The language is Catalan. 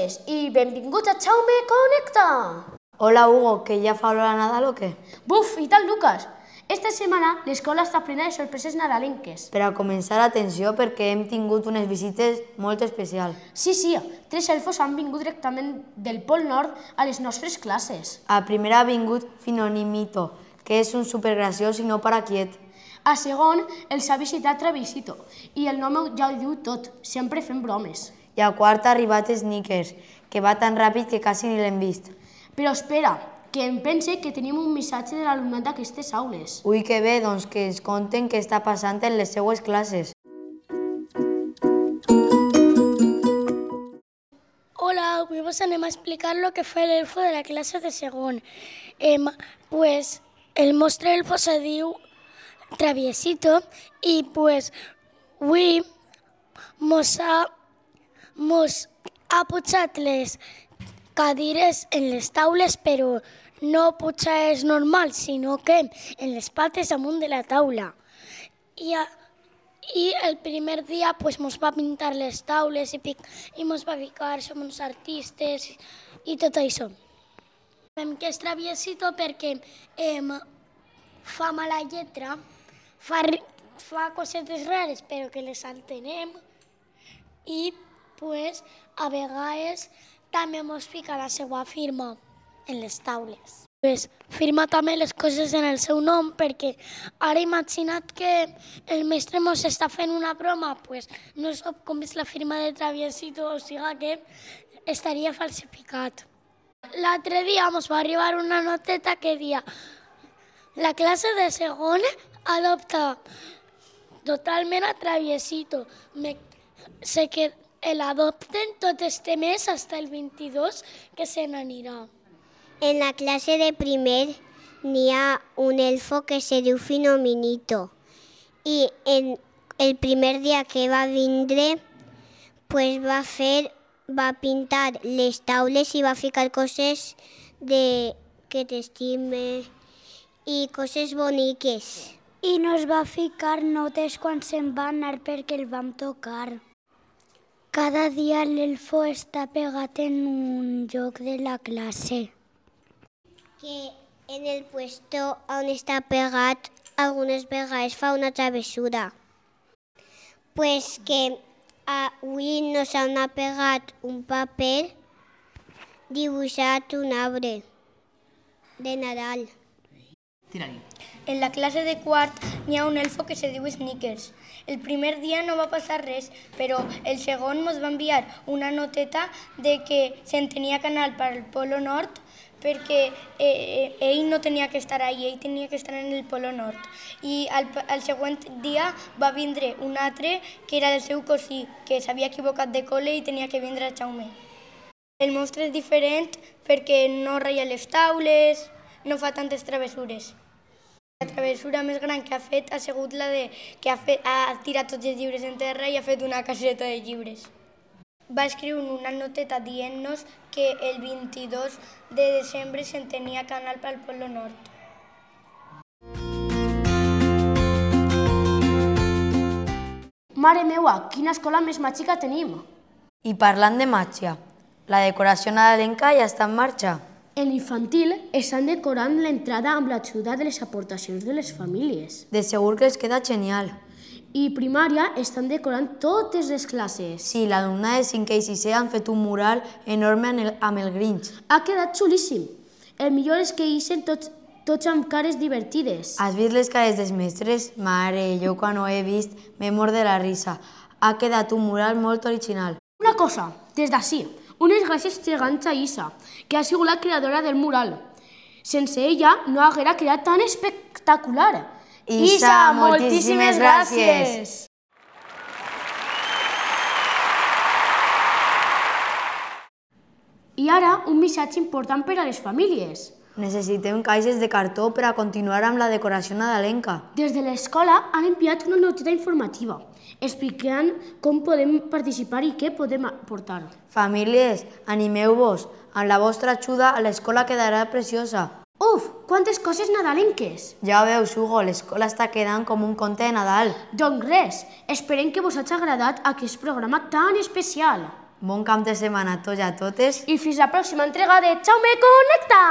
totes i benvinguts a Jaume Connecta! Hola, Hugo, que ja fa olor a Nadal o què? Buf, i tal, Lucas? Esta setmana l'escola està plena de sorpreses nadalenques. Per a començar, atenció, perquè hem tingut unes visites molt especials. Sí, 3 elfos han vingut directament del Pol Nord a les nostres classes. A primera ha vingut Finonimito, que és un supergraciós i no para quiet. A segon, els ha visitat Traviesito, i el nom ja ho diu tot, sempre fem bromes. I a quart ha arribat Snickers, que va tan ràpid que quasi ni l'hem vist. Però espera, que em pense que tenim un missatge de l'alumnat d'aquestes aules. Ui, que bé, doncs que ens conten què està passant en les seues classes. Hola, avui vos anem a explicar lo que fue el elfo de la clase de segon. Pues el nostre elfo se diu Traviesito i pues avui mos ha pujat les cadires en les taules, però no pujades normal, sinó que en les pates amunt de la taula. I el primer dia pues, mos va pintar les taules i mos va ficar, som uns artistes i tot això. Sabem que és Traviesito perquè fa mala lletra, fa cosetes rares però que les entenem i pues, a vegades també mos fica la seva firma en les taules. Pues, firma també les coses en el seu nom perquè ara imagina't que el mestre mos està fent una broma, pues, no sap com és la firma de Traviesito, o sigui que estaria falsificat. L'altre dia mos va arribar una noteta que dia la classe de segon adopta totalment a Traviesito. Sé que l'adopten tot este mes hasta el 22 que se n'anirà. En la clase de primer n'hi ha un elfo que se diu Finominito i en el primer dia que va vindre pues va pintar les taules i va ficar coses que t'estime i coses boniques. I nos va ficar notes quan se'n va anar perquè el vam tocar. Cada dia l'elfo està pegat en un lloc de la classe. Que en el puesto on està pegat algunes vegades fa una travessura. Pues que avui nos han pegat un paper dibuixat un arbre de Nadal. En la classe de quart n'hi ha un elfo que se diu Snickers. El primer dia no va passar res, però el segon mos va enviar una noteta de que se'n tenia que anar per al Polo Nord perquè ell no tenia que estar allà, ell tenia que estar en el Polo Nord. I al següent dia va vindre un altre que era el seu cosí, que s'havia equivocat de col·le i tenia que vindre a Jaume. El monstre és diferent perquè no ratlla les taules, no fa tantes travessures. La travessura més gran que ha fet ha sigut la de que ha tirat tots els llibres en terra i ha fet una caseta de llibres. Va escriure una noteta dient-nos que el 22 de desembre se'n tenia que anar pel Polo Nord. Mare meua, quina escola més màgica tenim! I parlant de màgia, la decoració nadalenca ja està en marxa. En l'infantil estan decorant l'entrada amb l'ajuda de les aportacions de les famílies. De segur que els queda genial. I primària estan decorant totes les classes. Sí, l'alumna de 5è i 6è han fet un mural enorme amb el Grinch. Ha quedat xulíssim. El millor és que ixen tots amb cares divertides. Has vist les cares dels mestres? Mare, jo quan ho he vist m'he mort de la risa. Ha quedat un mural molt original. Una cosa, des d'ací, unes gràcies gegants a Isa, que ha sigut la creadora del mural. Sense ella no haguera quedat tan espectacular. Isa, moltíssimes gràcies! I ara, un missatge important per a les famílies. Necessitem caixes de cartó per a continuar amb la decoració nadalenca. Des de l'escola han enviat una noteta informativa explicant com podem participar i què podem aportar. Famílies, animeu-vos. Amb la vostra ajuda, l'escola quedarà preciosa. Uf, quantes coses nadalenques! Ja veus, Hugo, l'escola està quedant com un conte de Nadal. Doncs res, esperem que vos hagi agradat aquest programa tan especial. Bon cap de setmana a tots i a totes. I fins la pròxima entrega de Jaume Connecta!